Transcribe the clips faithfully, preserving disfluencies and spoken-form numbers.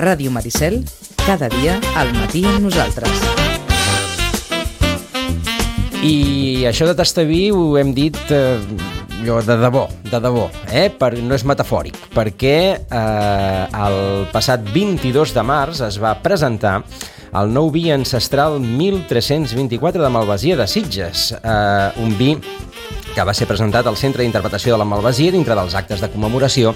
Ràdio Maricel, cada dia al matí amb nosaltres. I això de tastaví ho hem dit eh, allò de debò, de debò, eh? Per, no és metafòric, perquè eh, el passat vint-i-dos de març es va presentar el nou vi ancestral mil tres-cents vint-i-quatre de Malvasia de Sitges, eh, un vi que va ser presentat al Centre d'Interpretació de la Malvasia dintre dels actes de commemoració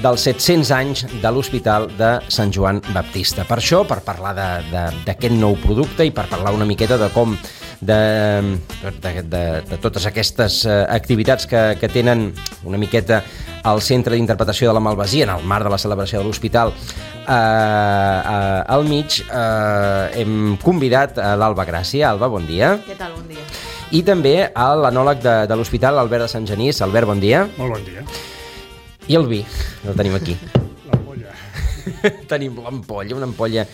dels set-cents anys de l'Hospital de Sant Joan Baptista. Per això, per parlar d'aquest nou producte i per parlar una miqueta de com de, de, de, de totes aquestes activitats que, que tenen una miqueta al Centre d'Interpretació de la Malvasia en el marc de la celebració de l'Hospital eh, eh, al mig, eh, hem convidat a l'Alba Gràcia. Alba, bon dia. Què tal? Bon dia. I també a l'anòleg de, de l'Hospital, Albert de Sant Genís. Albert, bon dia. Molt bon dia. I el vi, el tenim aquí. L'ampolla. Tenim l'ampolla, una ampolla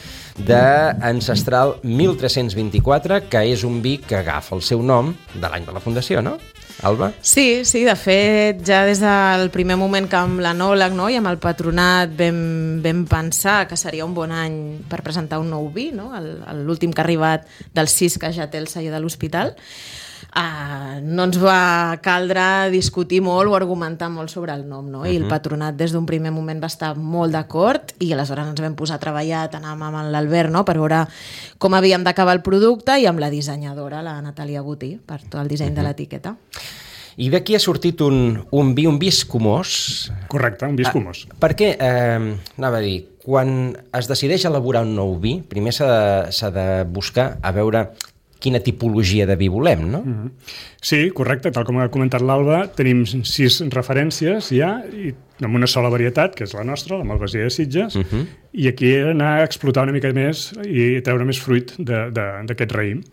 d'ancestral mil tres-cents vint-i-quatre, que és un vi que agafa el seu nom de l'any de la fundació, no? Alba? Sí, sí, de fet, ja des del primer moment que amb l'anòleg, no, i amb el patronat vam, vam pensar que seria un bon any per presentar un nou vi, no? El, l'últim que ha arribat del sis, que ja té el celler de l'Hospital. Uh, no ens va caldre discutir molt o argumentar molt sobre el nom, no? I el patronat des d'un primer moment va estar molt d'acord i aleshores ens vam posar a treballar tant amb l'Albert, no? Per veure com havíem d'acabar el producte, i amb la dissenyadora, la Natàlia Botí, per tot el disseny uh-huh. de l'etiqueta. I d'aquí ha sortit un, un vi, un vi escumós. Correcte, un vi escumós. Ah, perquè, eh, anava a dir, quan es decideix elaborar un nou vi, primer s'ha de, s'ha de buscar a veure quina tipologia de vi volem, no? Mm-hmm. Sí, correcte. Tal com ha comentat l'Alba, tenim sis referències ja, i amb una sola varietat, que és la nostra, la Malvasia de Sitges, uh-huh. i aquí anar a explotar una mica més i treure més fruit d'aquest raïm.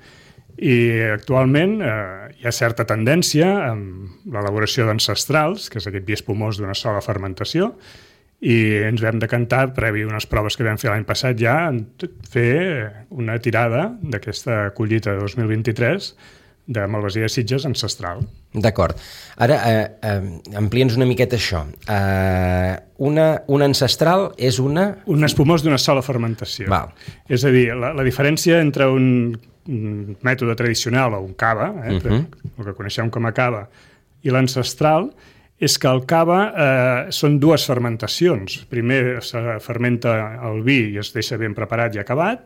I actualment eh, hi ha certa tendència amb l'elaboració d'ancestrals, que és aquest vi espumós d'una sola fermentació, i ens vam decantar, previ unes proves que vam fer l'any passat ja, en fer una tirada d'aquesta collita de dos mil vint-i-tres de Malvasia de Sitges ancestral. D'acord. Ara, eh, eh, amplia'ns una miqueta això. Eh, una, una ancestral és una... Un espumós d'una sola fermentació. Val. És a dir, la, la diferència entre un, un mètode tradicional o un cava, eh, uh-huh. el que coneixem com a cava, i l'ancestral, és que el cava eh, són dues fermentacions. Primer se fermenta el vi i es deixa ben preparat i acabat,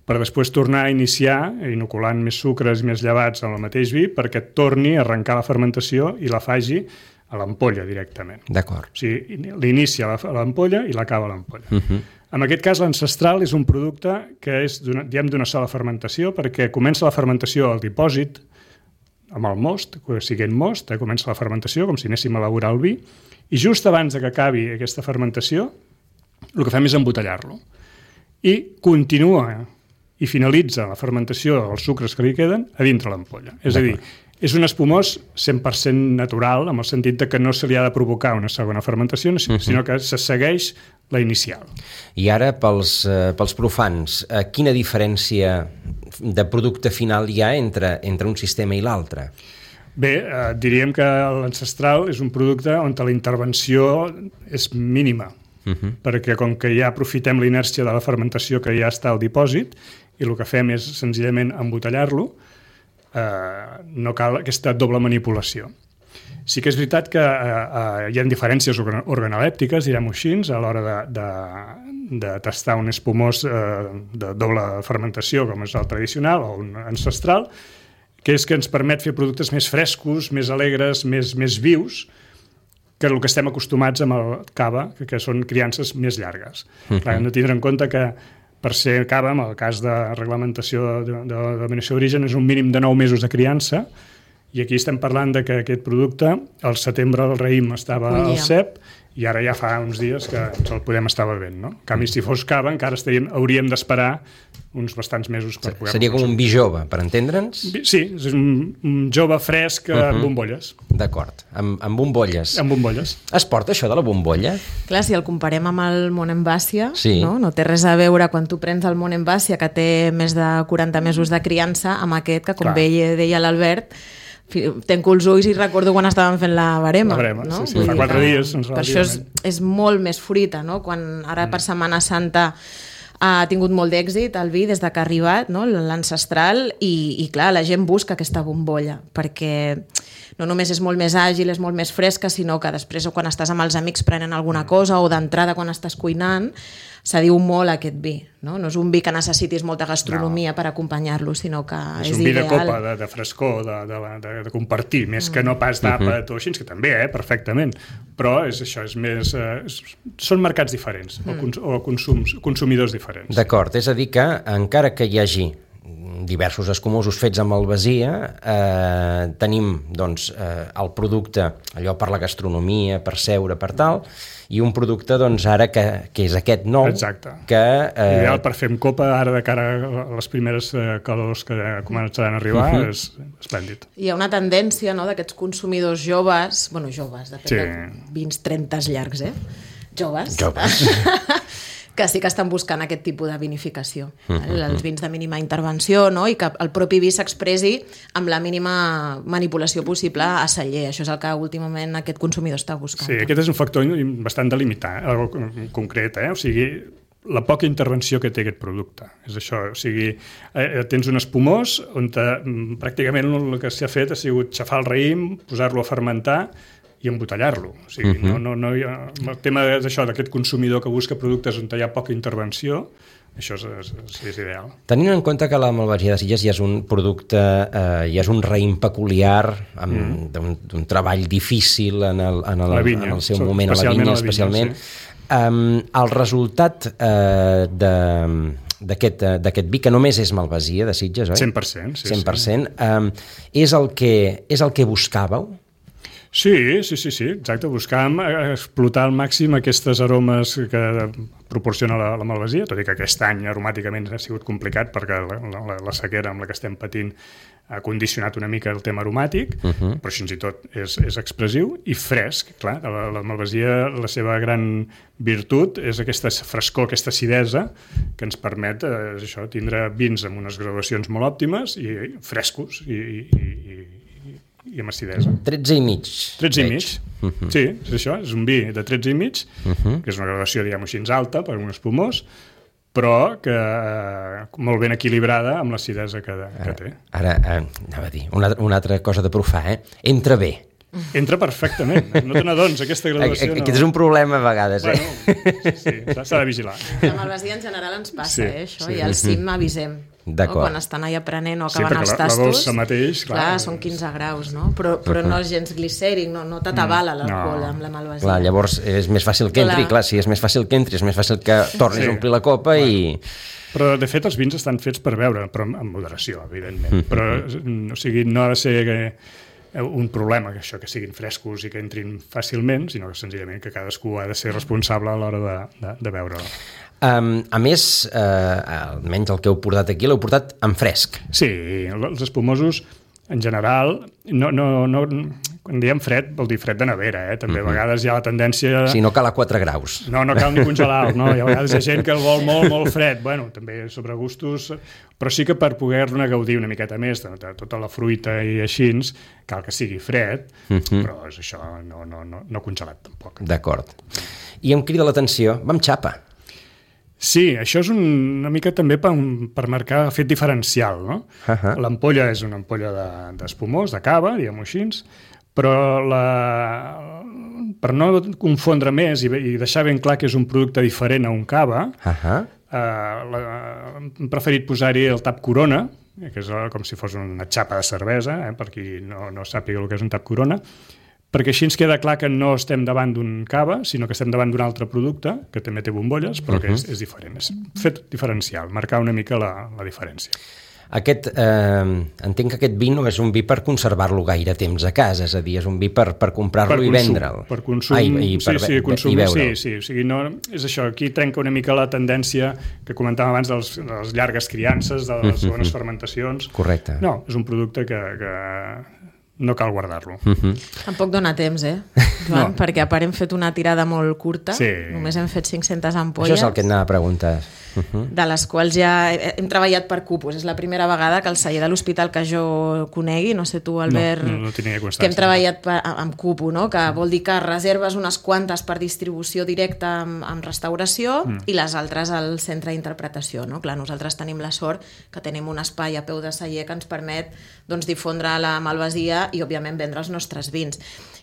per després tornar a iniciar, inoculant més sucres i més llevats en el mateix vi, perquè torni a arrencar la fermentació i la faci a l'ampolla directament. D'acord. O sigui, l'inicia a l'ampolla i l'acaba a l'ampolla. Uh-huh. En aquest cas, l'ancestral és un producte que és d'una sola fermentació, perquè comença la fermentació al dipòsit, amb el most, siguent most, eh, comença la fermentació, com si anéssim a elaborar el vi, i just abans de que acabi aquesta fermentació, el que fem és embotellar-lo. I continua i finalitza la fermentació dels sucres que li queden a dintre l'ampolla. És a dir, és un espumós cent per cent natural, amb el sentit de que no se li ha de provocar una segona fermentació, sinó uh-huh. que se segueix la inicial. I ara, pels, eh, pels profans, eh, quina diferència de producte final hi ha entre, entre un sistema i l'altre? Bé, eh, diríem que l'ancestral és un producte on la intervenció és mínima, uh-huh. perquè com que ja aprofitem la inèrcia de la fermentació que ja està al dipòsit, i el que fem és senzillament embotellar-lo, eh, no cal aquesta doble manipulació. Sí que és veritat que eh, eh, hi ha diferències organolèptiques, direm-ho així, a l'hora de, de, de tastar un espumós eh, de doble fermentació, com és el tradicional o un ancestral, que és que ens permet fer productes més frescos, més alegres, més, més vius, que el que estem acostumats amb el cava, que, que són criances més llargues. Uh-huh. Clar, hem de tindre en compte que per ser cava, en el cas de reglamentació de, de, de denominació d'origen, és un mínim de nou mesos de criança, i aquí estem parlant de que aquest producte, al setembre el raïm estava al cep, i ara ja fa uns dies que ens el podem estar bevent, no? En canvi, si fos cava, encara estaríem, hauríem d'esperar uns bastants mesos per poder... Seria com un vi jove, per entendre'ns? Sí, és un, un jove fresc uh-huh. amb bombolles. D'acord, amb, amb bombolles. Amb bombolles. Es porta això de la bombolla? Clar, si el comparem amb el Monemvasia, sí. no? no té res a veure quan tu prens el Monemvasia, que té més de quaranta mesos de criança, amb aquest, que com bé deia l'Albert, Tenco els ulls i recordo quan estàvem fent la barema. La barema, no? sí, sí. Fa quatre dies. Per això és, és molt més fruita, no? Quan ara per Setmana Santa ha tingut molt d'èxit el vi des de que ha arribat, no? L'ancestral, i, i clar, la gent busca aquesta bombolla, perquè no només és molt més àgil, és molt més fresca, sinó que després, quan estàs amb els amics prenent alguna cosa, o d'entrada quan estàs cuinant, s'adiu molt aquest vi. No? No és un vi que necessitis molta gastronomia no. per acompanyar-lo, sinó que és, és un vi ideal. de copa, de, de frescor, de, de, de, de compartir, més mm. que no pas d'àpat uh-huh. o així, que també, eh, perfectament. Però és això, és més... Eh, és, són mercats diferents, mm. o, cons, o consums, consumidors diferents. D'acord, és a dir que, encara que hi hagi diversos escumosos fets amb albasia, eh, tenim doncs, eh, el producte, allò per la gastronomia, per seure, per tal, i un producte doncs, ara que, que és aquest nou. Exacte. Que, eh... Ideal per fer amb copa, ara de cara a les primeres eh, calors que començaran a arribar, uh-huh. és esplèndid. Hi ha una tendència, no?, d'aquests consumidors joves, bueno, joves, de fet, sí. de vint trenta llargs, eh? Joves. Joves. que sí que estan buscant aquest tipus de vinificació, uh-huh. els vins de mínima intervenció, no? I que el propi vi s'expressi amb la mínima manipulació possible a celler. Això és el que últimament aquest consumidor està buscant. Sí, aquest és un factor bastant delimitar, concret, eh? O sigui, la poca intervenció que té aquest producte. És això, o sigui, eh, tens un espumós on te, pràcticament el que s'ha fet ha sigut xafar el raïm, posar-lo a fermentar i embotellar-lo. O sigui, uh-huh. no, no, no hi ha... El tema és això, d'aquest consumidor que busca productes on hi ha poca intervenció, això és, és, és ideal. Tenint en compte que la Malvasia de Sitges ja és un producte, eh, ja és un raïm peculiar, amb, mm. d'un, d'un treball difícil en el, en el, vinya, en el seu moment, a la vinya, especialment. Sí. Um, el resultat eh, de... d'aquest, d'aquest vi, que només és Malvasia de Sitges, oi? cent per cent, sí. cent per cent. Sí. Um, és, el que, és el que buscàveu? Sí, sí, sí, sí, exacte. Buscàvem explotar al màxim aquestes aromes que proporciona la, la Malvasia, tot i que aquest any aromàticament ha sigut complicat perquè la, la, la sequera amb la que estem patint ha condicionat una mica el tema aromàtic, uh-huh. però fins i tot és, és expressiu i fresc. Clar, la, la Malvasia, la seva gran virtut és aquesta frescor, aquesta acidesa que ens permet eh, això, tindre vins amb unes graduacions molt òptimes i frescos i, i, i i amb acidesa. tretze i mig. tretze i mig. Uh-huh. Sí, és això, és un vi de tretze i mig, uh-huh. que és una gradació, diguem-ho així, alta per un espumós, però que eh, molt ben equilibrada amb l'acidesa que, que té. Ara, ara anava a dir, una, una altra cosa de profà, eh? Entra bé. Entra perfectament, no te n'adones, aquesta graduació no... Aquest és un problema a vegades, eh? Bueno, sí, sí, s'ha de vigilar. La Malvasia en general ens passa, sí, eh, això, sí. I al cim avisem. No? Quan estan allà aprenent o sí, acaben els tastos, la dolça mateix, clar, clar, són quinze graus, no? Però, però no és gens glicèric, no, no t'atabala l'alcohol no. amb la Malvasia. Clar, llavors és més fàcil que entri, clar. clar, si és més fàcil que entri, és més fàcil que tornis sí. a omplir la copa clar. i... Però, de fet, els vins estan fets per beure, però amb moderació, evidentment. Però, o sigui, no ha de ser un problema que això que siguin frescos i que entrin fàcilment, sinó que senzillament que cadascú ha de ser responsable a l'hora de, de, de beure-la. Um, a més, eh, almenys el que heu portat aquí, l'heu portat en fresc. Sí, els espumosos, en general, no, no, no, quan diem fred, vol dir fred de nevera, eh? També uh-huh. a vegades hi ha la tendència... Sí, no cal a quatre graus. No, no cal ni congelar, no? Hi ha vegades hi ha gent que el vol molt, molt fred. Bueno, també sobre gustos, però sí que per poder-ne gaudir una miqueta més de, de tota la fruita i així, cal que sigui fred, uh-huh. però és això, no, no, no, no congelat tampoc. D'acord. I em crida l'atenció, vam xapa. Sí, això és un, una mica també per, per marcar el fet diferencial, no? Uh-huh. L'ampolla és una ampolla de, d'espumós, de cava, diguem-ho així, però la, per no confondre més i, i deixar ben clar que és un producte diferent a un cava, uh-huh. eh, la, hem preferit posar-hi el tap Corona, que és com si fos una xapa de cervesa, eh, per qui no, no sàpiga el que és un tap Corona, perquè així ens queda clar que no estem davant d'un cava, sinó que estem davant d'un altre producte, que també té bombolles, però que és, és diferent. És fet diferencial, marcar una mica la, la diferència. Aquest, eh, entenc que aquest vi no és un vi per conservar-lo gaire temps a casa, és a dir, és un vi per, per comprar-lo per i vendre'l. Per consum, Ai, i per, sí, sí, consum, i veure'l. Sí, sí, o sigui, no, és això, aquí trenca una mica la tendència que comentàvem abans dels, de les llargues criances, de les segones fermentacions. Correcte. No, és un producte que... que no cal guardar-lo. Uh-huh. Tampoc dona temps, eh, Joan? No. Perquè a part hem fet una tirada molt curta, Sí. només hem fet cinc-centes ampolles. Això és el que et anava a preguntar. Uh-huh. De les quals ja hem treballat per cupos. És la primera vegada que el celler de l'hospital que jo conegui, no sé tu, Albert, No, no, no tenia constància. que hem treballat per, amb cupo, no? Que vol dir que reserves unes quantes per distribució directa amb, amb restauració mm. i les altres al centre d'interpretació, no? Clar, nosaltres tenim la sort que tenim un espai a peu de celler que ens permet doncs, difondre la malvasia i, òbviament, vendre els nostres vins.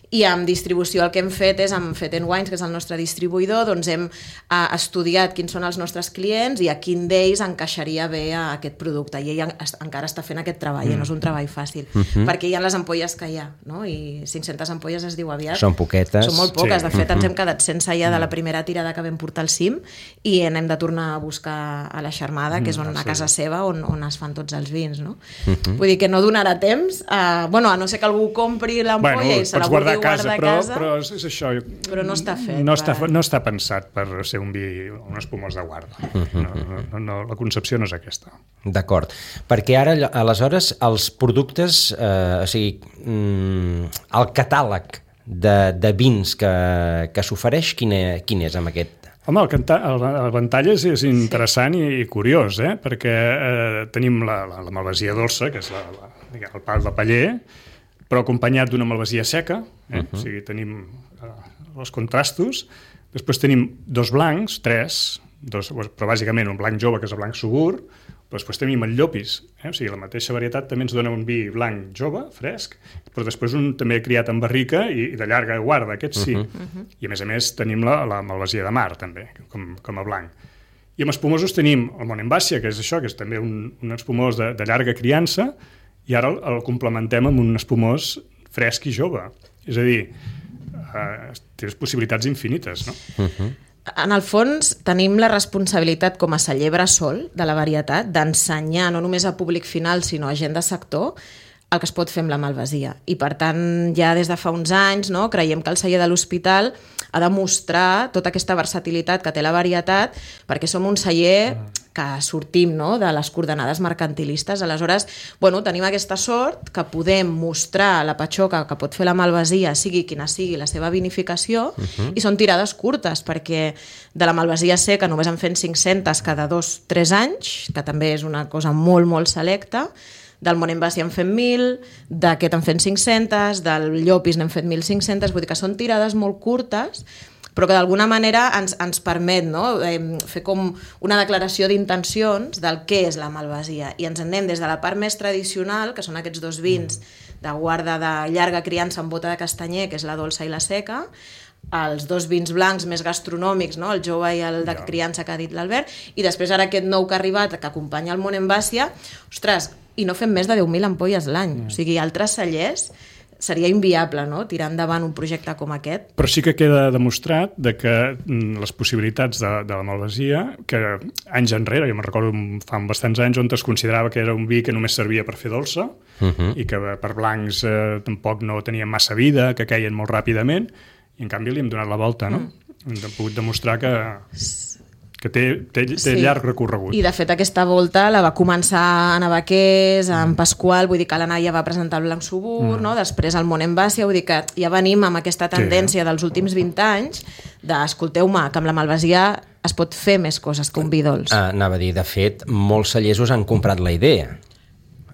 I amb distribució el que hem fet és amb Fet and Wines, que és el nostre distribuïdor, doncs hem eh, estudiat quins són els nostres clients i a quin d'ells encaixaria bé a aquest producte. I ell en, es, encara està fent aquest treball, mm. no és un treball fàcil, mm -hmm. perquè hi ha les ampolles que hi ha, no? I cinc-centes ampolles es diu aviat. Són poquetes. Són molt poques, Sí. de fet Mm-hmm. ens hem quedat sense ja de la primera tirada que vam portar al cim i n'hem de tornar a buscar a la Xarmada, que és on, a casa seva on, on es fan tots els vins, no? Mm-hmm. Vull dir que no donarà temps, a, bueno, a no ser que algú compri l'ampolla Bueno, i se la pots guardar vulgui a casa, guardar a però, casa. però és, és això. Però no està fet No està, per- no està pensat per ser un vi, un espumós de guarda. No, no, no, la concepció no és aquesta. D'acord, perquè ara, aleshores, els productes, eh, o sigui, mm, el catàleg de, de vins que, que s'ofereix, quin, és, quin és amb aquest? Home, el, canta, el, el ventall és, és interessant i, i curiós, eh? perquè eh, tenim la, la, la malvasia dolça, que és la, la, diguem, el pal de paller, però acompanyat d'una malvasia seca, eh? uh-huh. o sigui, tenim eh, els contrastos, després tenim dos blancs, tres, dos, però bàsicament un blanc jove, que és el blanc subur, però després tenim el llopis, eh? o sigui, la mateixa varietat també ens dona un vi blanc jove, fresc, però després un també criat en barrica i, i de llarga guarda, aquest sí. Uh -huh. I a més a més tenim la, la malvasia de mar, també, com, com a blanc. I amb espumosos tenim el Monemvasia, que és això, que és també un, un espumós de, de llarga criança, i ara el, el complementem amb un espumós fresc i jove. És a dir, eh, tens possibilitats infinites, no? Uh-huh. En el fons, tenim la responsabilitat com a celler bressol de la varietat d'ensenyar no només a públic final, sinó a gent de sector, el que es pot fer amb la malvasia. I, per tant, ja des de fa uns anys no, creiem que el celler de l'hospital ha de mostrar tota aquesta versatilitat que té la varietat, perquè som un celler que sortim no, de les coordenades mercantilistes. Aleshores, bueno, tenim aquesta sort que podem mostrar la patxoca que pot fer la malvasia, sigui quina sigui la seva vinificació, uh-huh. i són tirades curtes, perquè de la malvasia seca només en fem cinc-centes cada dos o tres anys, que també és una cosa molt, molt selecta. Del Monemvasia en fem mil, d'aquest en fem cinc-centes, del Llopis n'hem fet mil cinc-centes, vull dir que són tirades molt curtes, però que d'alguna manera ens, ens permet no? eh, fer com una declaració d'intencions del què és la malvasia. I ens anem des de la part més tradicional, que són aquests dos vins de guarda de llarga criança amb bota de castanyer, que és la dolça i la seca, els dos vins blancs més gastronòmics, no? El jove i el de criança que ha dit l'Albert, i després ara aquest nou que ha arribat, que acompanya el Monemvasia, ostres, i no fem més de deu mil ampolles l'any. Mm. O sigui, altres cellers seria inviable, no?, tirar endavant un projecte com aquest. Però sí que queda demostrat de que les possibilitats de, de la malvasia, que anys enrere, jo me'n recordo fa bastants anys, on es considerava que era un vi que només servia per fer dolça, uh-huh. i que per blancs eh, tampoc no tenien massa vida, que queien molt ràpidament, i en canvi li hem donat la volta, no? Mm. Hem pogut demostrar que... que té, té, té sí. llarg recorregut. I de fet aquesta volta la va començar en Abaqués, en Pasqual, vull dir que l'Anna ja va presentar el Blanc Subur, mm. no? Després el Monemvasia, vull dir que ja venim amb aquesta tendència sí. dels últims vint anys d'escolteu-me, que amb la malvasia es pot fer més coses que un vi dolç. Ah, anava a dir, de fet, molts cellesos han comprat la idea,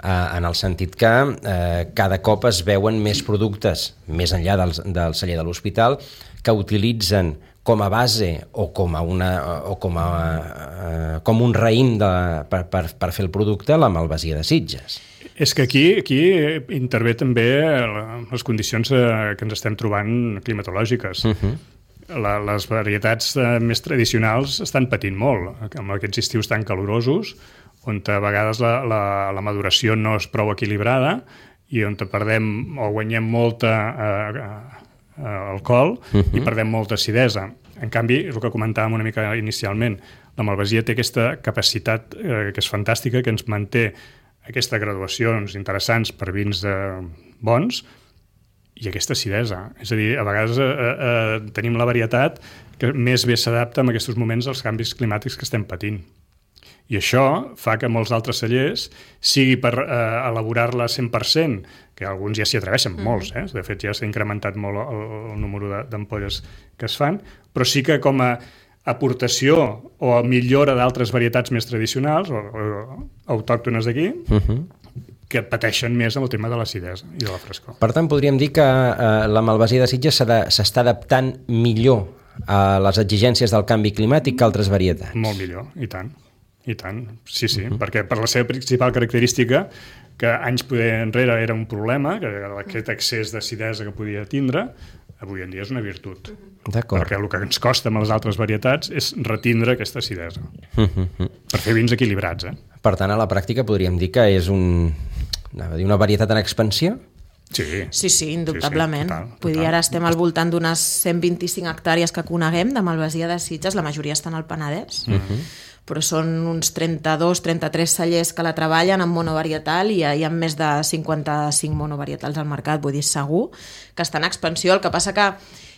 ah, en el sentit que eh, cada cop es veuen més productes, més enllà del, del celler de l'hospital, que utilitzen com a base o com a una o com a uh, com un raïm de, per, per, per fer el producte la malvasia de Sitges. És que aquí, aquí intervé també les condicions que ens estem trobant climatològiques. Uh-huh. La, les varietats més tradicionals estan patint molt, amb aquests estius tan calorosos, on a vegades la, la, la maduració no és prou equilibrada i on perdem o guanyem molta eh, alcohol uh-huh. i perdem molta acidesa. En canvi, és el que comentàvem una mica inicialment, la malvasia té aquesta capacitat eh, que és fantàstica, que ens manté aquestes graduacions interessants per vins eh, bons i aquesta acidesa. És a dir, a vegades eh, eh, tenim la varietat que més bé s'adapta en aquests moments als canvis climàtics que estem patint. I això fa que molts altres cellers, sigui per eh, elaborar-la cent per cent, que alguns ja s'hi atreveixen, mm. molts, eh? De fet ja s'ha incrementat molt el, el número d'ampolles que es fan, però sí que com a aportació o a millora d'altres varietats més tradicionals o, o autòctones d'aquí, uh-huh. que pateixen més amb el tema de l'acidesa i de la frescor. Per tant, podríem dir que eh, la malvasia de Sitges s'està adaptant millor a les exigències del canvi climàtic que altres varietats. Molt millor, i tant. I tant, sí, sí, uh-huh. perquè per la seva principal característica, que anys poder enrere era un problema, que aquest excés d'acidesa que podia tindre, avui en dia és una virtut. D'acord. Perquè el que ens costa amb les altres varietats és retindre aquesta acidesa, uh-huh. per fer vins equilibrats. Eh? Per tant, a la pràctica podríem dir que és un, una varietat en expansió? Sí, sí, sí, indubtablement. Sí, sí, total, total. Vull dir, ara estem al voltant d'unes cent vint-i-cinc hectàrees que coneguem de malvasia de Sitges, la majoria estan al Penedès, uh-huh. però són uns trenta-dos trenta-tres cellers que la treballen amb monovarietal i hi ha més de cinquanta-cinc monovarietals al mercat, vull dir, segur que està en expansió. El que passa que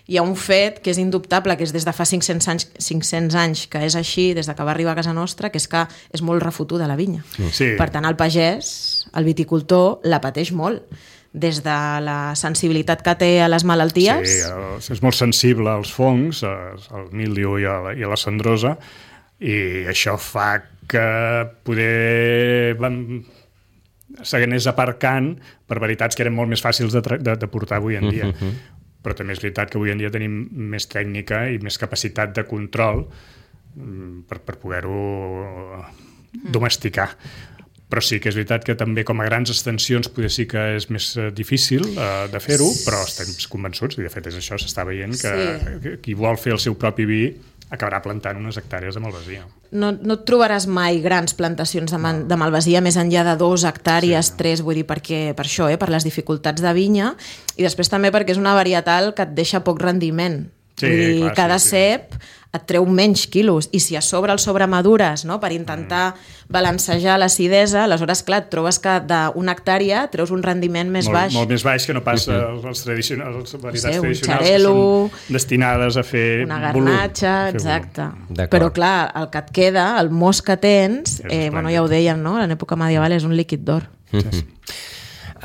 hi ha un fet que és indubtable, que és des de fa cinc-cents anys, cinc-cents anys que és així, des de que va arribar a casa nostra, que és que és molt refotuda la vinya. Sí. Per tant, el pagès, el viticultor, la pateix molt, des de la sensibilitat que té a les malalties. Sí, és molt sensible als fongs, al míldiu i a la, i a la cendrosa, i això fa que poder s'anés aparcant per varietats que eren molt més fàcils de, de, de portar avui en dia. Uh-huh. Però també és veritat que avui en dia tenim més tècnica i més capacitat de control per, per poder-ho domesticar. Però sí que és veritat que també com a grans extensions potser sí que és més difícil uh, de fer-ho, però estem convençuts, i de fet és això, s'està veient que, sí. que qui vol fer el seu propi vi acabarà plantant unes hectàrees de malvasia. No, no et trobaràs mai grans plantacions de, man, de malvasia més enllà de dos hectàrees, sí. tres, vull dir, perquè, per això, eh, per les dificultats de vinya, i després també perquè és una varietal que et deixa poc rendiment. Sí, vull dir, clar, cada sí, sí. cep et treu menys quilos, i si a sobre el sobremadures, no?, per intentar mm. balancejar l'acidesa, aleshores, clar, et trobes que d'una hectàrea treus un rendiment més molt, baix. Molt més baix que no pas uh-huh. els tradicionals, les varietats sí, tradicionals xarelo, que són destinades a fer una garnatxa, volum, exacte. Però clar, el que et queda, el mos que tens, eh, bueno, ja ho deien, no?, en l'època medieval és un líquid d'or. Sí, sí.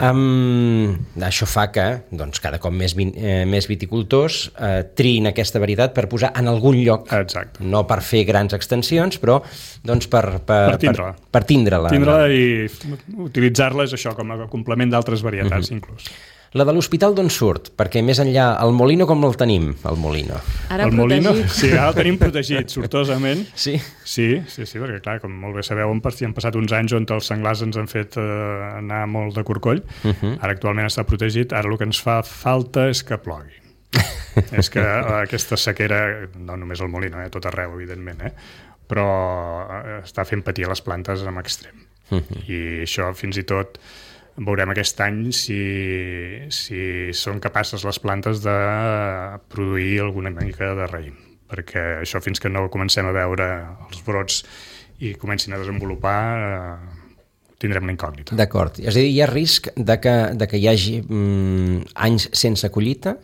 Um, això fa que doncs, cada cop més, vin, eh, més viticultors eh, triïn aquesta varietat per posar en algun lloc. Exacte. No per fer grans extensions, però doncs, per, per, per tindre-la. Per, per tindre-la. Tindre-la i utilitzar-la és això, com a complement d'altres varietats, uh-huh. inclús. La de l'hospital d'on surt? Perquè més enllà, el Molino com el tenim, el Molino? Ara el protegit. Molino, sí, ara el tenim protegit, sortosament. Sí? Sí, sí, sí, perquè clar, com molt bé sabeu, han passat uns anys on els senglars ens han fet eh, anar molt de corcoll. Uh-huh. Ara actualment està protegit, ara el que ens fa falta és que plogui. És que eh, aquesta sequera, no només el Molino, eh, tot arreu, evidentment, eh, però eh, està fent patir les plantes en extrem. Uh-huh. I això fins i tot veurem aquest any si, si són capaces les plantes de produir alguna mica de raïm, perquè això fins que no comencem a veure els brots i comencin a desenvolupar eh, tindrem una incògnita. D'acord, és a dir, hi ha risc de que, de que hi hagi mm, anys sense collita?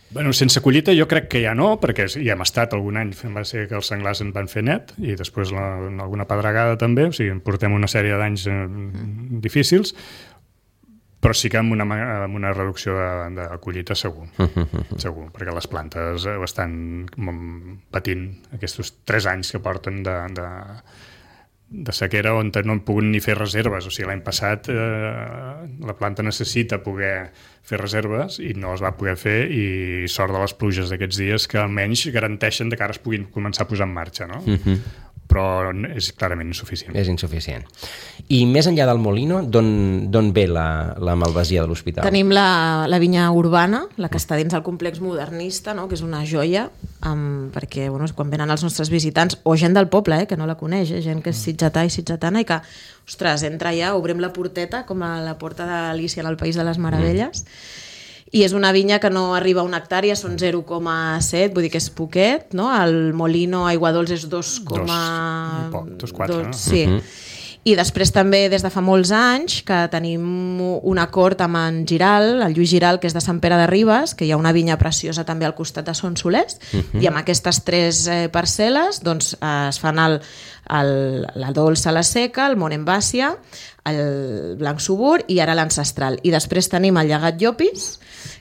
Bueno, sense collita jo crec que ja no, perquè hi hem estat algun any, va ser que els senglars en van fer net, i després la, alguna pedregada també, o sigui, portem una sèrie d'anys eh, difícils, però sí que amb una, amb una reducció de, de collita segur, segur, perquè les plantes ho estan patint aquests tres anys que porten de, de, de sequera on no han pogut ni fer reserves. O sigui, l'any passat eh, la planta necessita poder fer reserves i no es va poder fer, i sort de les pluges d'aquests dies que almenys garanteixen de que ara es puguin començar a posar en marxa, no? Uh-huh. Però és clarament insuficient. És insuficient. I més enllà del Molino, d'on ve la, la malvasia de l'hospital? Tenim la, la vinya urbana, la que està dins del complex modernista, no?, que és una joia, um, perquè bueno, quan venen els nostres visitants, o gent del poble, eh, que no la coneix, eh, gent que és sitgetà i sitgetana, i que, ostres, entra allà, obrim la porteta, com a la porta d'Alícia en el País de les Meravelles, mm. i és una vinya que no arriba a una hectàrea, són zero coma set, vull dir que és poquet, no? El Molino Aiguadols és dos coma... dos, dos, quatre, dos, no? Sí. Uh-huh. I després també des de fa molts anys que tenim un acord amb en Giral, el Lluís Giral, que és de Sant Pere de Ribes, que hi ha una vinya preciosa també al costat de Son Solers, uh-huh. i amb aquestes tres eh, parcel·les doncs, eh, es fan el, el, la dolça, la seca, el Monembàcia, el blanc subur i ara l'ancestral. I després tenim el llegat Llopis,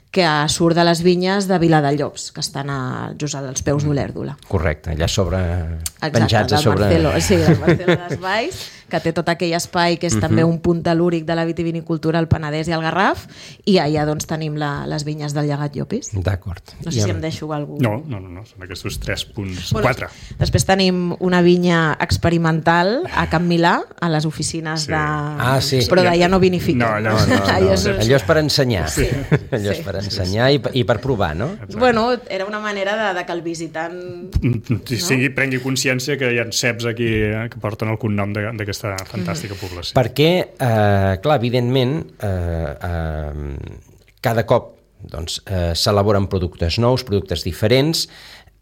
que surt de les vinyes de Viladellops, que estan a, just als peus d'Olèrdola. Correcte, allà sobre... Exacte, penjats a sobre... Marcelo, sí, el Marcelo dels Valls, que té tot aquell espai que és uh-huh. també un punt telúric de la vitivinicultura al Penedès i al Garraf, i allà doncs tenim la, les vinyes del llegat Llopis. D'acord. No sé si em deixo algú... No, no, no, no. Són aquests tres punts, bueno, quatre. Després tenim una vinya experimental a Can Milà, a les oficines sí. de... Ah, sí. Però d'allà no vinifiquen. No, allò, no, no, no. allò, és... allò és per ensenyar. Sí. Allò és per ensenyar i, i per provar, no? Exacte. Bueno, era una manera de, de que el visitant... No? Sí, prengui consciència que hi ha ceps aquí que porten el cognom d'aquesta fantàstica població. Perquè, eh, clar, evidentment, eh, eh, cada cop doncs, eh, s'elaboren productes nous, productes diferents,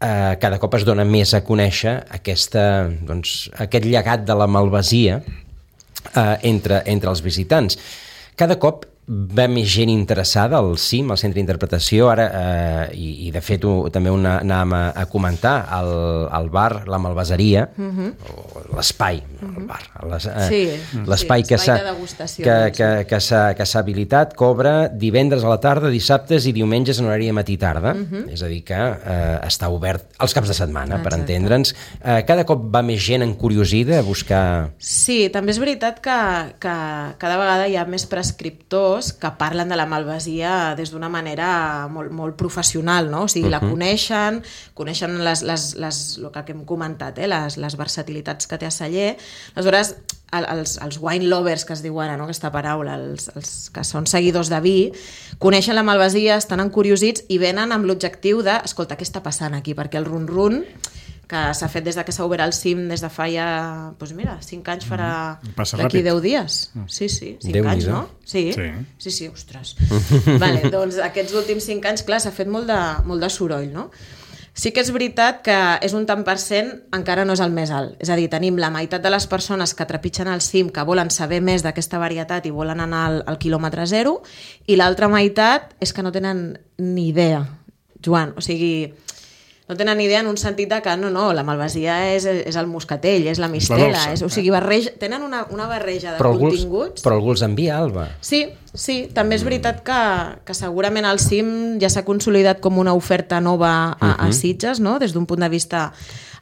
eh, cada cop es dona més a conèixer aquesta, doncs, aquest llegat de la malvasia eh, entre, entre els visitants. Cada cop va més gent interessada al C I M, al Centre d'Interpretació, ara, eh, i, i de fet ho, també una, anàvem a, a comentar, el, el bar, la malvaseria, uh-huh. o l'espai, uh-huh. el bar, les, eh, sí, l'espai sí, que s'ha que, que, que s'ha que s'ha habilitat, cobra divendres a la tarda, dissabtes i diumenges en horari de matí-tarda, uh-huh. és a dir que eh, està obert els caps de setmana, exacte. Per entendre'ns. Eh, cada cop va més gent encuriosida a buscar... Sí, també és veritat que, que cada vegada hi ha més prescriptors que parlen de la malvasia des d'una manera molt, molt professional, no? O sigui, uh-huh. la coneixen, coneixen les, les, les, el que hem comentat, eh? les, les versatilitats que té a celler. Aleshores, els, els wine lovers, que es diu ara, no? Aquesta paraula, els, els que són seguidors de vi, coneixen la malvasia, estan encuriosits i venen amb l'objectiu de, escolta, què està passant aquí? Perquè el run-run que s'ha fet des de que s'ha obert el C I M des de fa ja, doncs mira, cinc anys farà d'aquí deu dies. Sí, sí, cinc anys, no? Sí, sí, sí, sí ostres. Vale, doncs aquests últims cinc anys, clar, s'ha fet molt de, molt de soroll, no? Sí que és veritat que és un tant per cent, encara no és el més alt. És a dir, tenim la meitat de les persones que trepitgen el C I M, que volen saber més d'aquesta varietat i volen anar al, al quilòmetre zero, i l'altra meitat és que no tenen ni idea, Joan. O sigui, no tenen idea en un sentit de que no, no, la malvasia és, és el moscatell, és la mistela, és, o sigui, barreja, tenen una, una barreja de però continguts. Alguns, però algú els envia, Alba. Sí, sí, també és veritat que, que segurament el C I M ja s'ha consolidat com una oferta nova a, uh-huh. a Sitges, no? Des d'un punt de vista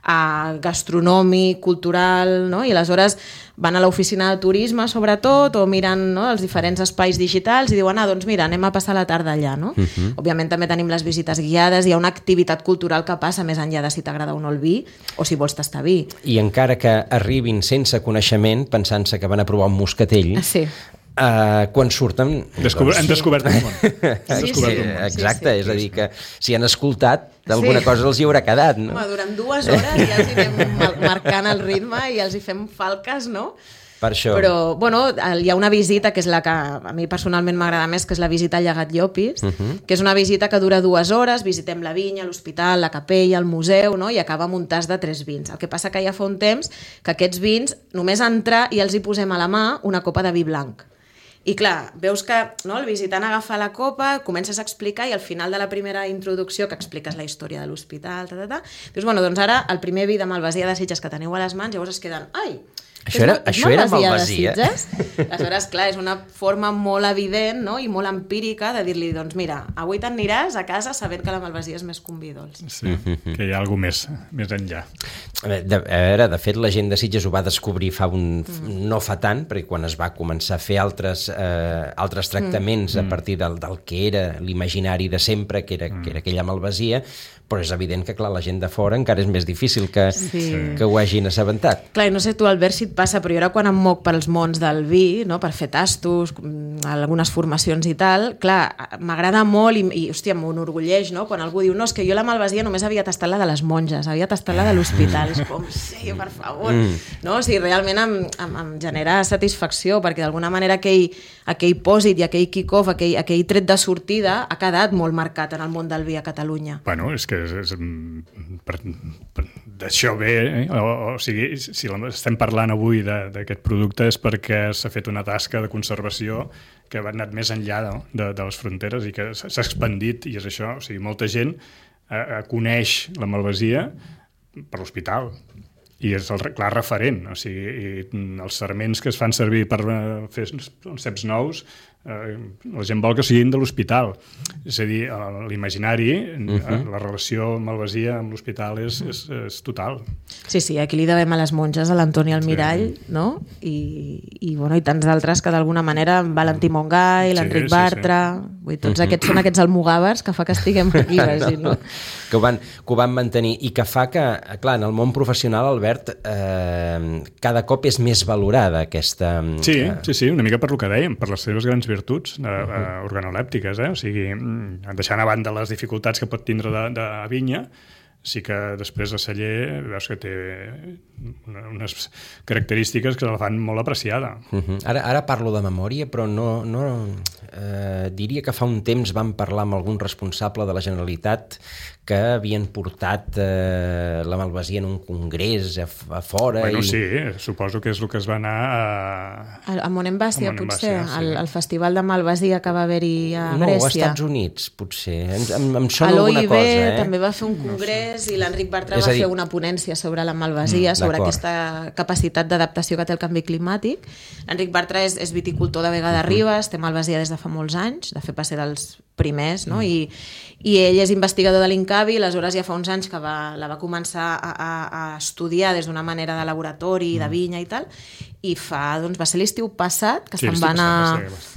a gastronòmic, cultural, no? I aleshores van a l'oficina de turisme, sobretot, o miren, no, els diferents espais digitals i diuen, ah, doncs mira, anem a passar la tarda allà, no? Uh-huh. Òbviament també tenim les visites guiades, hi ha una activitat cultural que passa més enllà de si t'agrada o no el vi, o si vols tastar vi. I encara que arribin sense coneixement, pensant-se que van a provar un moscatell, sí. Uh, quan surten... Descobre... doncs... Hem descobert un món. Sí, sí, sí, exacte, sí, sí. És a dir que si han escoltat, d'alguna sí. cosa els hi haurà quedat, no? Home, durant dues hores ja els hi anem marcant el ritme i els hi fem falques, no? Per això. Però, bueno, hi ha una visita que és la que a mi personalment m'agrada més, que és la visita al llegat Llopis, uh-huh. que és una visita que dura dues hores, visitem la vinya, l'hospital, la capella, el museu, no? I acaba amb un tas de tres vins. El que passa que ja fa un temps que aquests vins, només entrar i els hi posem a la mà una copa de vi blanc. I clar, veus que no, el visitant agafa la copa, comences a explicar i al final de la primera introducció que expliques la història de l'hospital, ta, ta, ta, dius, bueno, doncs ara el primer vi de malvasia de Sitges que teniu a les mans, llavors es queden, ai, això era, és això era malvasia. Aleshores, clar, és una forma molt evident, no? I molt empírica de dir-li, doncs mira, avui t'aniràs a casa sabent que la malvasia és més que un vi dolç. Sí, que hi ha alguna cosa més, més enllà. De, a veure, de fet, la gent de Sitges ho va descobrir fa un, mm. no fa tant, perquè quan es va començar a fer altres, eh, altres tractaments mm. a partir del, del que era l'imaginari de sempre, que era, mm. que era aquella malvasia, però és evident que, clar, la gent de fora encara és més difícil que, sí. que ho hagin assabentat. Clar, no sé tu, Albert, si et passa, però jo ara quan em moc pels mons del vi, no, per fer tastos, algunes formacions i tal, clar, m'agrada molt i, i hòstia, m'enorgulleix, no? Quan algú diu, no, és que jo la malvasia només havia tastat la de les monges, havia tastat la de l'hospital. És com, sí, per favor. Mm. No? O sigui, realment em, em, em genera satisfacció, perquè d'alguna manera aquell, aquell pòsit i aquell kick-off, aquell, aquell tret de sortida ha quedat molt marcat en el món del vi a Catalunya. Bueno, és que és, és, per, per, d'això ve, eh? o, o sigui, si estem parlant avui d'aquest producte és perquè s'ha fet una tasca de conservació que ha anat més enllà no? de, de les fronteres i que s'ha expandit, i és això, o sigui, molta gent eh, coneix la malvasia per l'hospital, i és el clar referent, o sigui, i els sarments que es fan servir per fer ceps nous, eh, la gent vol que siguin de l'hospital. És a dir, l'imaginari, uh-huh. la relació malvasia amb l'hospital és, és, és total. Sí, sí, aquí li devem a les monges, a l'Antoni Almirall, sí. no? I, i, bueno, i tants d'altres que d'alguna manera, Valentí Montgai, l'Enric sí, Bartra, sí, sí. Vull dir, tots uh-huh. aquests són aquests almogàvers que fa que estiguem aquí, vagi, no? Que ho, van, que ho van mantenir, i que fa que, clar, en el món professional, Albert, eh, cada cop és més valorada aquesta... Sí, eh... sí, sí, una mica per lo que dèiem, per les seves grans virtuts eh, uh-huh. eh, organolèptiques, eh? O sigui, deixant a banda les dificultats que pot tindre de, de vinya, sí que després a celler veus que té unes característiques que la fan molt apreciada. Uh-huh. Ara, ara parlo de memòria, però no, no eh, diria que fa un temps vam parlar amb algun responsable de la Generalitat que havien portat eh, la malvasia en un congrés a, a fora. Bueno, i... sí, suposo que és el que es va anar a... A, a Monemvasia, potser, sí. el, el festival de malvasia que va haver-hi a no, Grècia. No, als Estats Units, potser. Em, em, em sona alguna cosa, eh? També va fer un congrés, no sé. I l'Enric Bartra va dir... fer una ponència sobre la malvasia, mm, sobre aquesta capacitat d'adaptació que té el canvi climàtic. L'Enric Bartra és, és viticultor de Vega de Ribes, té malvasia des de fa molts anys, de fet va ser dels primers, no? Mm. I, i ell és investigador de l'Incavi, aleshores ja fa uns anys que va, la va començar a, a, a estudiar des d'una manera de laboratori, mm. de vinya i tal, i fa, doncs va ser l'estiu passat que sí, se'n va anar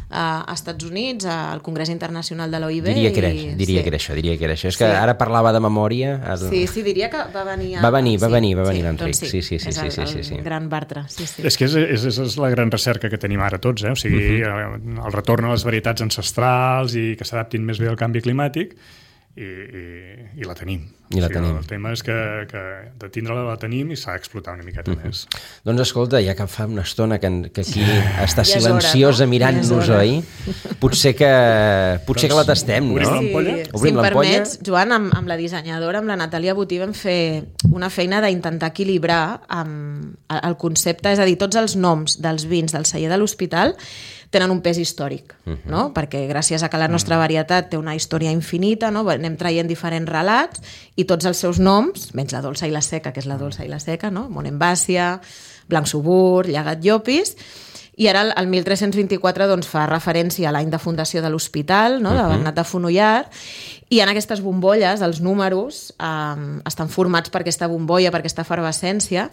a, a Estats Units, al Congrés Internacional de l'O I B. Diria que era, i, diria sí. que era això, diria que era això. És que sí. ara parlava de memòria... Ara... Sí, sí, diria que va venir... A... Va venir, va venir, va venir sí, l'Enric. doncs sí, sí, sí, sí, és sí, el, sí, sí, sí. el gran Bartra. Sí, sí. És que és, és, és la gran recerca que tenim ara tots, eh? O sigui, uh-huh. el retorn a les varietats ancestrals i que s'adaptin més bé al canvi climàtic, i, i, i la tenim. I la o sigui, tenim. El tema és que, que de tindre-la la tenim i s'ha d'explotar una miqueta uh-huh. més. Doncs escolta, ja que fa una estona que, que aquí està ja silenciosa hora, no? mirant-nos, oi? Potser que potser doncs, que la tastem, no? Obrim l'ampolla? Sí. Obrim si em l'ampolla? permets, Joan, amb, amb la dissenyadora, amb la Natàlia Botí, vam fer una feina d'intentar equilibrar amb el concepte, és a dir, tots els noms dels vins del celler de l'Hospital tenen un pes històric, uh-huh. no? Perquè gràcies a que la nostra varietat té una història infinita, no? Anem traient diferents relats i tots els seus noms, menys la dolça i la seca, que és la dolça i la seca, no? Monemvasia, Blanc Subur, Llegat Llopis, i ara el mil tres-cents vint-i-quatre doncs, fa referència a l'any de fundació de l'hospital, no? De Bernat de Fonollar, i en aquestes bombolles, els números eh, estan formats per aquesta bombolla, per aquesta efervescència,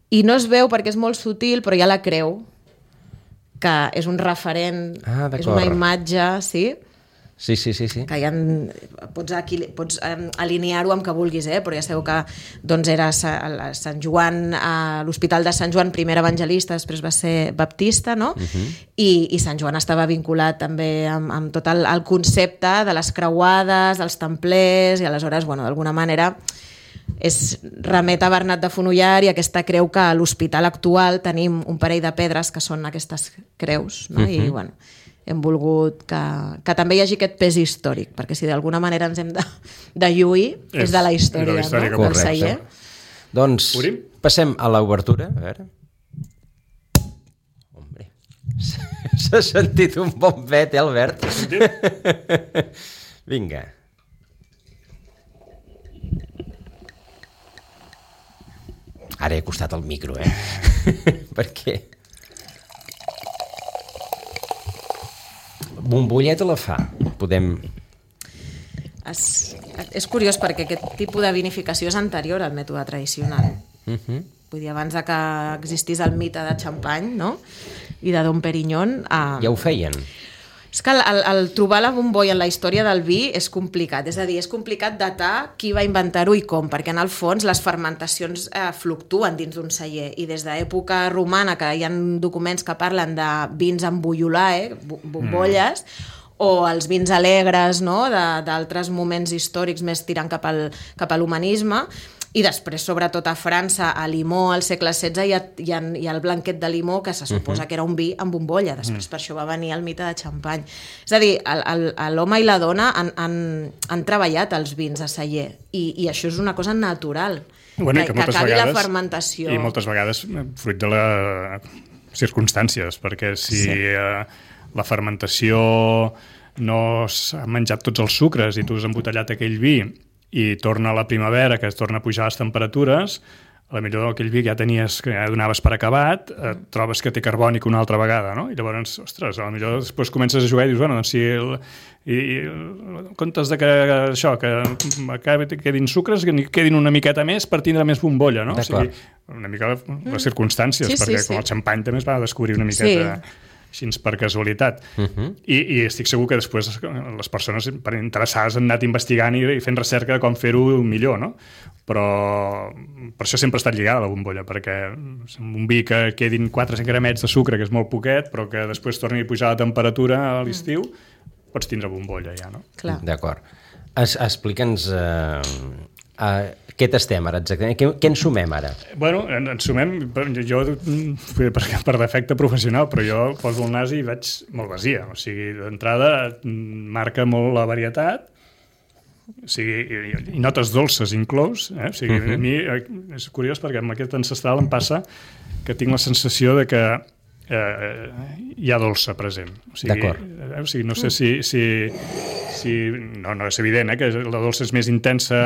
i no es veu perquè és molt sutil, però hi ha la creu, que és un referent, ah, és una imatge, sí? Sí, sí, sí. sí. Que ja en, pots, aquí, pots um, alinear-ho amb que vulguis, eh? Però ja sabeu que doncs, era a Sant Joan, a l'Hospital de Sant Joan, primer evangelista, després va ser baptista, no? Uh-huh. I, I Sant Joan estava vinculat també amb, amb tot el, el concepte de les creuades, dels templers, i aleshores, bueno, d'alguna manera... és remet a Bernat de Fonollar i aquesta creu que a l'hospital actual tenim un parell de pedres que són aquestes creus, no? Uh-huh. I bueno, hem volgut que, que també hi hagi aquest pes històric, perquè si d'alguna manera ens hem de, de lluir és, és de la història, de la història no? Del celler. Doncs Obrim? Passem a l'obertura. A veure. Hombre, s'ha sentit un bon vet, eh, Albert? S'ha sentit? Vinga. Ara he acostat el micro, eh? Perquè... Bombolleta la fa. Podem... És, és curiós perquè aquest tipus de vinificació és anterior al mètode tradicional. Uh-huh. Vull dir, abans de que existís el mite de Champagne, no? I de Dom Perignon... Eh... Ja ho feien. És que el, el, el trobar la bombolla en la història del vi és complicat, és a dir, és complicat datar qui va inventar-ho i com, perquè en el fons les fermentacions eh, fluctuen dins d'un celler i des d'època romana, que hi ha documents que parlen de vins amb bullolar, eh, bombolles, mm. o els vins alegres, no?, d'altres moments històrics més tirant cap al, cap a l'humanisme, I després, sobretot a França, a Limó, al segle setze, hi ha, hi ha, hi ha el blanquet de Limó, que se suposa uh-huh. que era un vi amb bombolla. Després, uh-huh. per això va venir el mite de xampany. És a dir, l'home i la dona han, han, han treballat els vins a celler, i, i això és una cosa natural, bueno, que, que, que acabi vegades, la fermentació. I moltes vegades fruit de les circumstàncies, perquè si sí. eh, la fermentació no s'ha menjat tots els sucres i tu has embotellat aquell vi i torna a la primavera, que es torna a pujar les temperatures, a la millor aquell vi que ja tenies, que ja donaves per acabat, et trobes que té carbònic una altra vegada, no? I llavors, ostres, a la millor després comences a jugar i dius, bueno, doncs si el, i, i, en comptes de que això, que, que quedin sucres, que quedin una miqueta més per tindre més bombolla, no? O sigui, una mica les circumstàncies, sí, perquè sí, com sí. el xampany també es va descobrir una miqueta... Sí. Així per casualitat. Uh-huh. I, I estic segur que després les persones interessades han anat investigant i, i fent recerca de com fer-ho millor, no? Però per això sempre ha estat lligada la bombolla, perquè un vi que quedin quatre gramets de sucre, que és molt poquet, però que després torni a pujar la temperatura a l'estiu, mm. pots tindre bombolla ja, no? Clar. D'acord. Es, explica'ns... Eh... Uh, què tastem ara exactament? Què, què ens sumem ara? Bueno, ens sumem, jo per, per defecte professional, però jo poso el nas i veig malvasia. O sigui, d'entrada marca molt la varietat, o sigui, i, i notes dolces inclòs. Eh? O sigui, uh-huh. a mi és curiós perquè amb aquest ancestral em passa que tinc la sensació de que eh, hi ha dolça present. O sigui, eh, o sigui no sé si... si, si no, no és evident, eh, que la dolça és més intensa...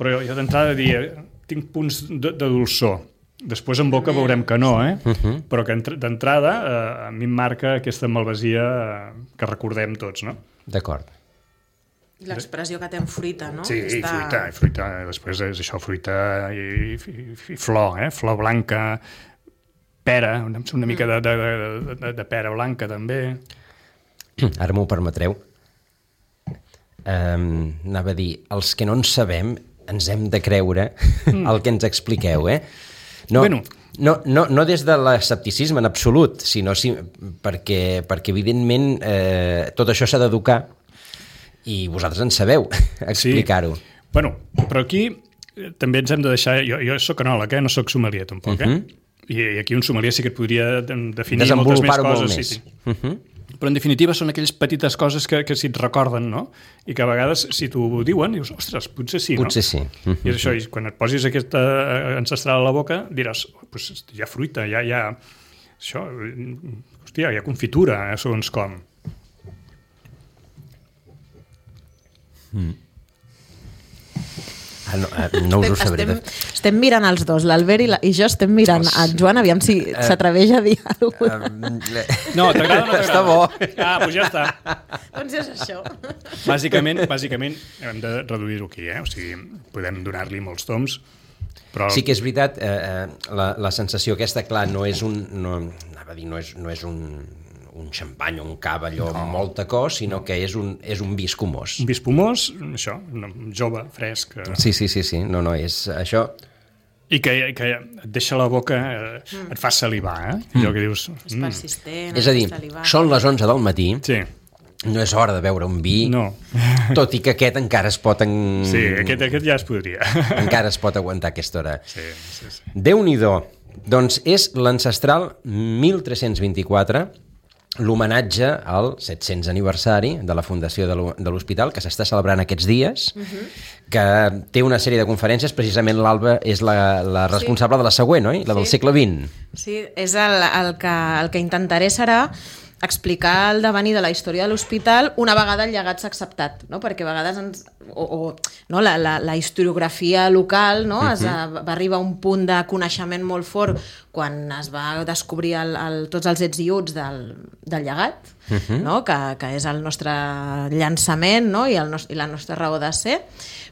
Però jo, jo d'entrada diria, tinc punts de, de dolçor. Després en boca veurem que no, eh? Uh-huh. Però que d'entrada eh, a mi em marca aquesta malvasia que recordem tots, no? D'acord. L'expressió que té en fruita, no? Sí, Està... fruita, fruita. Després és això, fruita i, i, i flor, eh? Flor blanca, pera, una, una mica de, de, de, de pera blanca també. Ara m'ho permetreu. Um, anava a dir, els que no en sabem ens hem de creure mm. el que ens expliqueu, eh? No, bueno. no, no, no des de l'escepticisme en absolut, sinó si, perquè, perquè evidentment eh, tot això s'ha d'educar i vosaltres en sabeu explicar-ho. Sí. Bueno, però aquí també ens hem de deixar... Jo, jo soc enòleg, eh? No soc sommelier tampoc, uh-huh. eh? I, I aquí un sommelier sí que et podria definir moltes més coses. Més. Sí, sí. Uh-huh. Però en definitiva són aquelles petites coses que, que si et recorden, no? I que a vegades, si t'ho diuen, dius, ostres, potser sí, no? Potser sí. Uh-huh. I és això, i quan et posis aquesta ancestral a la boca, diràs, pues, hi ha fruita, hi ha, hi ha... Això, hòstia, hi ha confitura, eh, segons com. Mm. Ah, no, no us ho sabré. Estem, estem mirant els dos, l'Albert i, la, i jo estem mirant a Joan, aviam si uh, s'atreveix a dir alguna cosa. Uh, no, t'agrada o no t'agrada? Està bo. Ah, doncs ja està. Doncs és això. Bàsicament, bàsicament hem de reduir-ho aquí, eh? O sigui, podem donar-li molts toms, però... Sí que és veritat, eh, la, la sensació aquesta, clar, no és un... No, anava a dir, no és, no és un... un xampany o un cava allò no. molt tacós, sinó que és un, és un vi espumós. Un vi espumós, això, jove, fresc. Sí, sí, sí, sí. No, no, és això... I que, que et deixa la boca, eh, mm. et fa salivar, eh? Mm. Allò que dius... És mm. persistent. És a dir, són les onze del matí, sí. no és hora de beure un vi, no. tot i que aquest encara es pot... En... Sí, aquest, aquest ja es podria. Encara es pot aguantar aquesta hora. Sí, sí, sí. Déu-n'hi-do. Doncs és l'ancestral mil tres-cents vint-i-quatre, l'homenatge al set-cents aniversari de la fundació de l'hospital, que s'està celebrant aquests dies, uh-huh. que té una sèrie de conferències, precisament l'Alba és la, la responsable sí. de la següent, oi? La del sí. segle vint. Sí, és el, el, que, el que intentaré serà explicar el devenir de la història de l'hospital una vegada el llegat s'ha acceptat, no? Perquè a vegades ens, o, o, no? la, la, la historiografia local, no? uh-huh. es, va arribar a un punt de coneixement molt fort quan es va descobrir el, el, tots els ets i uts del, del llegat, uh-huh. no? que, que és el nostre llançament, no? I, el nos, i la nostra raó de ser.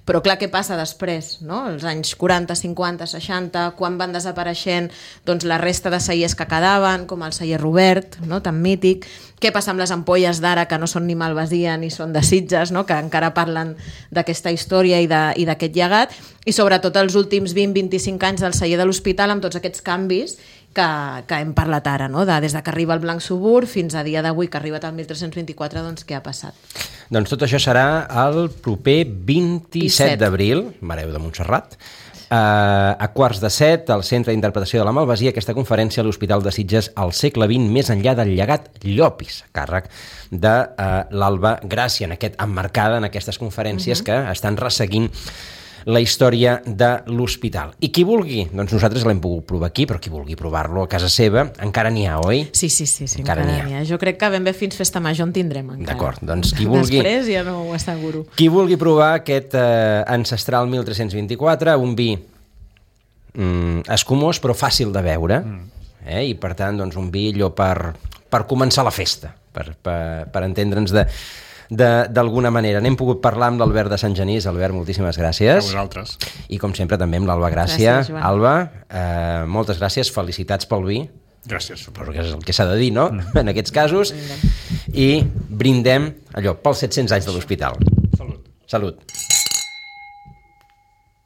Però clar, què passa després? No? Els anys quaranta, cinquanta, seixanta, quan van desapareixent doncs, la resta de cellers que quedaven, com el celler Robert, no? Tan mític. Què passa amb les ampolles d'ara, que no són ni malvasia ni són de Sitges, no? Que encara parlen d'aquesta història i d'aquest llegat, i sobretot els últims vint a vint-i-cinc anys del celler de l'hospital amb tots aquests canvis que, que hem parlat ara, no? De, des de que arriba el Blanc Subur fins a dia d'avui que ha arribat al mil tres-cents vint-i-quatre, doncs què ha passat? Doncs tot això serà el proper vint-i-set d'abril, Mareu de Montserrat, Uh, a quarts de set, al Centre d'Interpretació de la Malvasia, aquesta conferència a l'Hospital de Sitges al segle vint, més enllà del llegat Llopis, a càrrec de uh, l'Alba Gràcia, en aquest, emmarcada en aquestes conferències uh-huh. que estan resseguint la història de l'hospital. I qui vulgui, doncs nosaltres l'hem pogut provar aquí, però qui vulgui provar-lo a casa seva, encara n'hi ha, oi? Sí, sí, sí, sí encara, encara n'hi ha. ha. Jo crec que ben bé fins Festa Major en tindrem encara. D'acord, doncs qui vulgui... Després ja no ho asseguro. Qui vulgui provar aquest eh, ancestral mil tres-cents vint-i-quatre, un vi mm, escumós però fàcil de beure, mm. eh? I per tant doncs, un vi allò per, per començar la festa, per, per, per entendre'ns de... d'alguna manera. N'hem pogut parlar amb l'Albert de Sant Genís. Albert, moltíssimes gràcies. A vosaltres. I com sempre també amb l'Alba Gràcia. Gràcies, Joan. Alba, eh, moltes gràcies, felicitats pel vi. Gràcies. Suposo que és el que s'ha de dir, no? Mm. En aquests casos. I brindem allò pels set-cents anys de l'hospital. Salut. Salut.